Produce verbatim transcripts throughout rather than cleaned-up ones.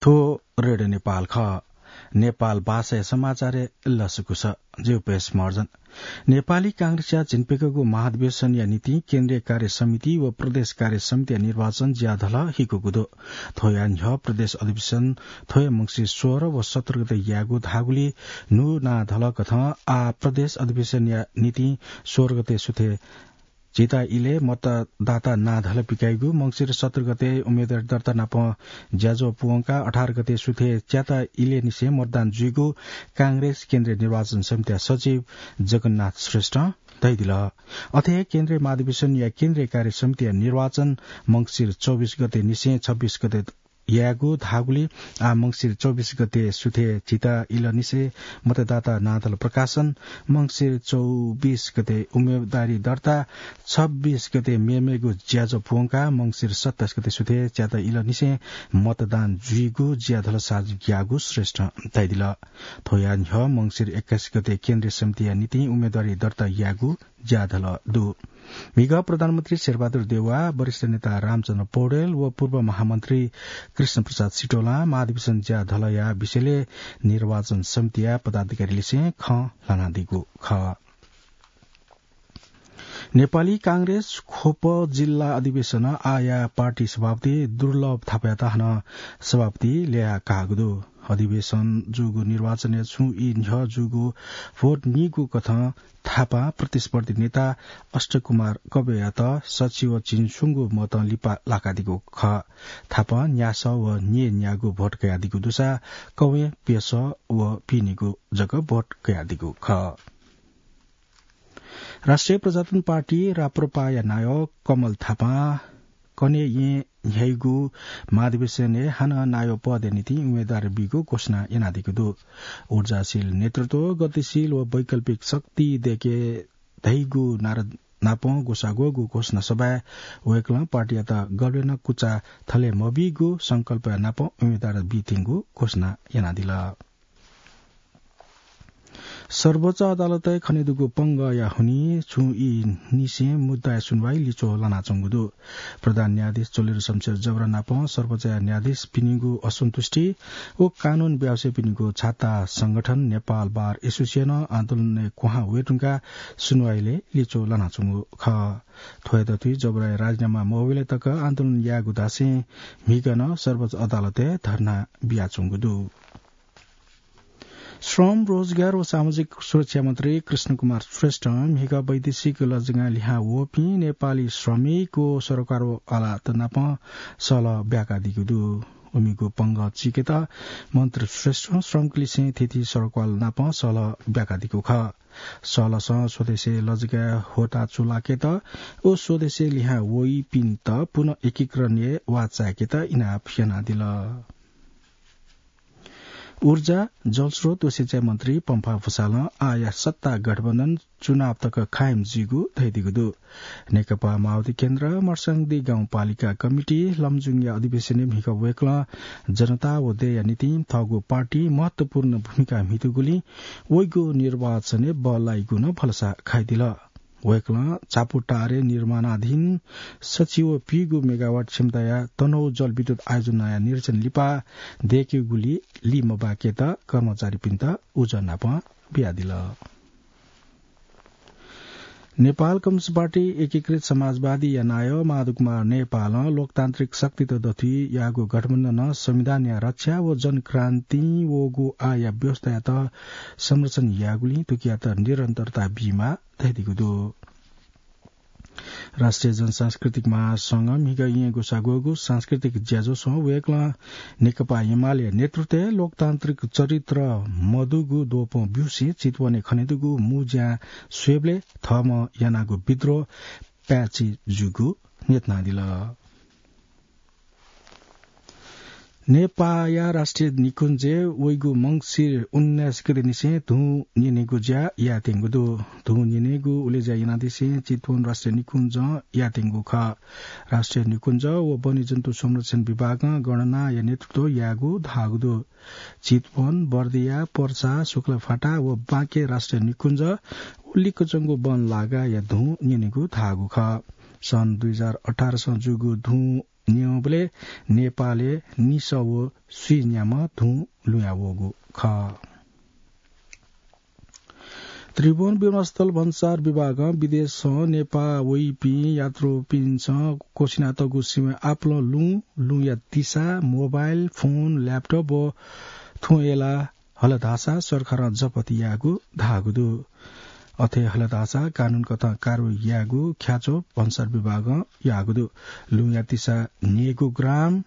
थ्व रेडियो नेपाल खः। नेपाल भाषाया समाचारय् लसकुस। जि उपेश महर्जन। नेपाली कांग्रेसया झिंप्यकःगु महाधिवेशनया निंतिं केन्द्रीय कार्य समिति व प्रदेश कार्य समितिया निर्वाचन ज्याधल हिकूगु दु। थ्वया न्ह्यः प्रदेश अधिवेशन थ्वया मंसिर सोह्र व सत्र गते यायेगु धाःगुलिं न्हू नां धलकथं आः प्रदेश अधिवेशनया निंतिं सोह्र गते सुथय् झिता इलय् मतदाता नां धल पिकाइगु, मंसिर सत्र गते उम्मेदवारी दर्ता नाप ज्याझ्वः पूवंकाः अठार गते सुथय् च्याता इलय् निसें मतदान जुइगु कांग्रेस केन्द्रीय निर्वाचन समितिया सचिव जगन्नाथ श्रेष्ठं धयादिल। अथे हे केन्द्रीय महाधिवेशनया केन्द्रीय कार्य समितिया निर्वाचन मंसिर चौबिस गते निसें छब्बिस गते यायेगु धाःगुलिं आः मंसिर चौबिस गते सुथय् झिता इलय् निसें मतदाता नां धल प्रकाशन, मंसिर चौबिस गते उम्मेदवारी दर्ता, छब्बिस गते मेमेगु ज्याझ्वः पूवंकाः मंसिर सत्ताइस गते सुथय् च्याता इलय् निसें मतदान जुइगु ज्याधल सार्वजनिक याःगु श्रेष्ठं धयादिल। थ्वया न्ह्यः मंसिर एक्काइस गते केन्द्रीय समितिया निंतिं उम्मेदवारी दर्ता यायेगु ज्याधल दु। म्हिगः प्रधानमन्त्री शेरबहादुर देउवा, वरिष्ठ नेता रामचन्द्र पौडेल व पूर्व महामन्त्री कृष्णप्रसाद सिटोलां महाधिवेशन ज्याधलया विषयलय् निर्वाचन समितिया पदाधिकारीलिसें खँ ल्हानादीगु खः। नेपाली कांग्रेस ख्वप जिल्ला अधिवेशन आःया पार्टी सभापति दुर्लभ थापायात हानं सभापति ल्यया काःगु दु। अधिवेशन जूगु निर्वाचनय् छुं ई न्ह्यः जूगु भोट नीगु कथं थापां प्रतिस्पर्धी नेता अष्टकुमार कबेयात सछि व झिंस्वंगू मतं लिपा लाकादीगु खः। थापां न्यासः व न्यय्‌न्यागू भोट कयादीगु दुसा कवें प्यसः व पिनेगू जक भोट कयादीगु खः। राष्ट्रिय प्रजातन्त्र पार्टी, राप्रपाया नायः कमल थापां कन्हय् येँ न्ह्याइगु महाधिवेशनय् हानं नायः पदया निंतिं उम्मेदवार बीगु घोषणा यानादीगु दु। ऊर्जाशील नेतृत्व, गतिशील व वैकल्पिक शक्ति दय्‌के धइगु नारा नापं ग्वसाः ग्वःगु घोषणा सभाय् वय्‌कलं पार्टीयात गबलें नं कुचा थले मबीगु संकल्पया नापं उम्मेदवार बीत्यंगु घोषणा यानादिल। सर्वोच्च अदालतय् खनेदुगु पंगःया हुनिं छुं ई निसें मुद्दाया सुनुवाइ लिच्वः लानाच्वंगु दु। प्रधान न्यायाधीश चोलेन्द्र शमशेर जबरा नाप सर्वोच्चया न्यायाधीश पिनिगु असन्तुष्टि व कानून व्यवसायीपिनिगु छाता संगठन नेपाल बार एसोसिएसनं आन्दोलनय् क्वहां वये धुंकाः सुनुवाइलय् लिच्वः लानाच्वंगु खः। थ्वयात धुइ जबराया राजीनामा मवय्‌बलय् तक आन्दोलन यायेगु धासें म्हिगः नं सर्वोच्च अदालतय् धर्ना बियाच्वंगु दु। श्रम, रोजगार व सामाजिक सुरक्षा मन्त्री कृष्ण कुमार श्रेष्ठं म्हिगः वैदेशिक लजगां लिहां वःपिं नेपाली श्रमिक व सरकार व अदालत नाप सहलह ब्याकादीगु दु। उमिगु पंगः चीकेत मन्त्री श्रेष्ठं श्रमिकलिसें थीथी सरकार नाप सहलह ब्याकादीगु खः। सहलहसं स्वदेशय् लजगाय् ह्वःताः चूलाकेत व स्वदेशय् लिहां वइपिन्त पुनः एकीकरणय् वाः चाय्‌केत इनाप यानादिल। ऊर्जा, जलस्रोत व सिँचाइ मन्त्री पम्फा भुसालं आःया सत्ता गठबन्धन चुनाव तक कायम जुइगु धयादीगु दु। नेकपा माओवादी केन्द्र, मर्स्याङदी गाउँपालिका कमिटी लमजुङया अधिवेशनय् म्हिगः वय्‌कलं जनता व देय्‌या निंतिं थःगु पार्टी महत्त्वपूर्ण भूमिका म्हितूगुलिं वइगु निर्वाचनय् बल लाइगु नं भलसा कयादिल। वय्‌कलं छापुटारे निर्माणाधीन सछि व पीगू मेगावाट क्षमताया तनहुँ जलविद्युत आयोजनाया निरीक्षण लिपा दय्‌केगुलिं लिमबाकेत कर्मचारीपिन्त उजं नाप बियादिल। नेपाल कम्युनिस्ट पार्टी एकीकृत समाजवादीया नायः माधवकुमार नेपालं लोकतान्त्रिक शक्तित दथुइ याःगु गठबन्धनं संविधानया रक्षा व जनक्रान्तिं वःगु आःया व्यवस्थायात संरक्षण यायेगुलिं थुकियात निरन्तरता बीमाः धयादीगु दु। राष्ट्रिय जनसांस्कृतिक महासंघं म्हिगः येँ ग्वसाः ग्वःगु सांस्कृतिक ज्याझ्वलय् वय्‌कलं नेकपा एमालेया नेतृत्वय् लोकतान्त्रिक चरित्र मदुगु द्वपं ब्यूसें चितवनय् खनेदुगु मू ज्यां स्वयेबलय् थःम्हं यानागु विद्रोह पाय्‌छि जूगु न्ह्यथनादिल। नेपाःया राष्ट्रिय निकुञ्जय् वइगु मंसिर उन्नाइस गते निसें धुं न्यनेगु ज्या यायेत्यंगु दु। धुं न्यनेगु उलेज्या यानादिसें चितवन राष्ट्रिय निकुञ्जं यायेत्यंगु खः। राष्ट्रिय निकुञ्ज व वन्यजन्तु संरक्षण विभागं गणनाया नेतृत्व यायेगु धाःगु दु। चितवन, बर्दिया, पर्सा, शुक्लाफाटा व बाँके राष्ट्रिय निकुञ्ज व लिक्कच्वंगु वन लागाया धुं न्यनेगु धाःगु खः। सन् दुई हजार अठारसं जूगु धुं न्यंबलय् नेपालय् निसः व स्वीन्याम्ह धुं लुँया वःगु खः। त्रिभुवन विमानस्थल भन्सार विभागं विदेशं नेपाः वइपिं यात्रुपिन्सं क्वसिनातःगु सिमाय् आपालं लुँ, लुँया तिसा, मोबाइल फोन, ल्यापटप व थ्वँ एला हल धाःसा सरकारं जफत यायेगु धाःगु दु। अथे हल धाःसा कानून कथं कारवाही यायेगु ख्याच्वः भन्सार विभागं याःगु दु। लुँया तिसा न्यय्गू ग्राम,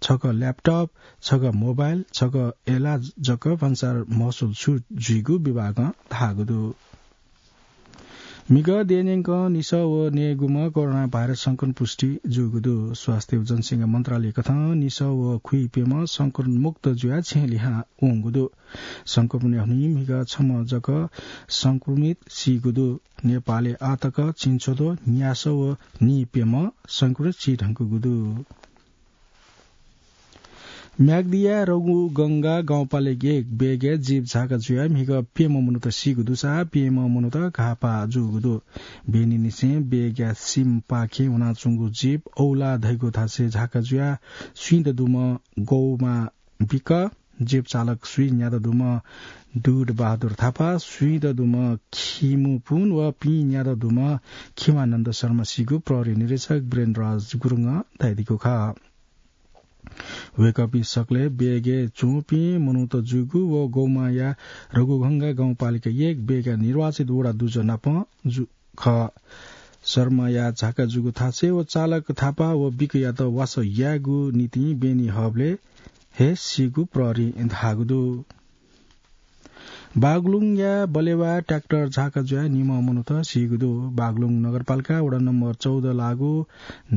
छगः ल्यापटप, छगः मोबाइल, छगः एला जक भन्सार महसुल छुट जुइगु विभागं धाःगु दु। म्हिगः देय् न्यंकं निसः व न्यय्गूम्ह कोरोना भाइरस संक्रमण पुष्टि जूगु दु। स्वास्थ्य व जनसंख्या मन्त्रालय कथं निसः व खुइप्यम्ह संक्रमण मुक्त जुयाः छेँ लिहां वंगु दु। संक्रमणया हुनिं म्हिगः छम्ह जक संक्रमित सीगु दु। नेपालय् आःतक झिंछ्वद्वः न्यासः व नीप्यम्ह संक्रमित सीधुंकूगु दु। म्याग्दिया रघुगंगा गाउँपालिका एक बेगय् जीप झाका जुयाः म्हिगः प्यम्ह मनूत सीगु दुसा प्यम्ह मनूत घाःपाः जूगु दु। बेनीनिसें बेगया सिमपाखे वनाच्वंगु जीप औला धइगु थासय् झाका जुयाः स्वीदँ दुम्ह गौमां बिक। जीप चालक स्वीन्यादँ दुम्ह दुध बहादुर थापा, स्वीदँ दुम्ह खिमुपुन व पीन्यादँ दुम्ह खिमानन्द शर्मा सीगु प्रहरी निरीक्षक वीरेन्द्रराज गुरुङं धयादीगु खः। वय्कःपिं सकलें बेगय् च्वंपिं मनूत जूगु व गौमांया रघुगंगा गाउँपालिका एक बेगया निर्वाचित वडा दुजः नाप जु-, खः। शर्माया झाका जूगु थासय् व चालक थापा व बिकयात वासः यायेगु निंतिं बेनी हःबलय् हे सीगु प्रहरीं धाःगु दु। बागलुङया बलेवा ट्र्याक्टर झाका जुयाः निम्ह मनूत सीगु दु। बागलुङ नगरपालिका वडा नम्बर चौध लाःगु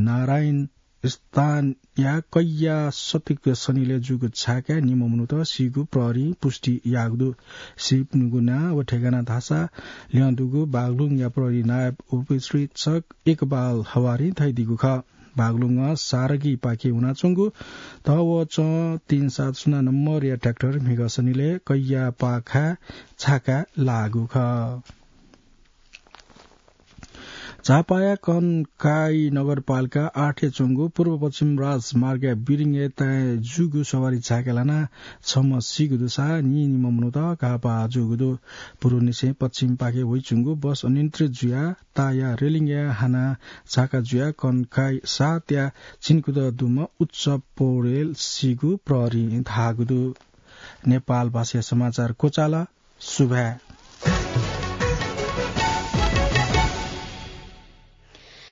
नारायण स्थानया कैया सतिक सनिलय् जूगु झाकाय् निम्ह मनूत सीगु प्रहरीं पुष्टि याःगु दु। सीपिनिगु नां व ठेगाना धाःसा ल्यं दुगु बागलुङया प्रहरी नायब उपरीक्षक इकबाल हवारीं धयादीगु खः। बागलुङ सारगीपाखे वनाच्वंगु ध व च तीन सात शून्य नम्बरया ट्र्याक्टर म्हिगः सनिलय् कैया पाखाय् झाकाय् लाःगु खः। झापाया कन्काई नगरपालिका आठय् च्वंगु पूर्व पश्चिम राजमार्गया बिरिङय् ताय् जूगु सवारी झाकाय् लानाः छम्ह सीगु दुसा नीनिम्ह मनूत घाःपाः जूगु दु। पूर्वनिसें पश्चिमपाखे वइच्वंगु बस अनियन्त्रित जुयाः ताःया रेलिङय् हानाः झाका जुयाः कन्काई सातया चिनकुद दुम्ह उत्सव पौडेल सीगु प्रहरीं धाःगु दु। नेपाल भाषाया समाचार क्वचाल। सुभाय्।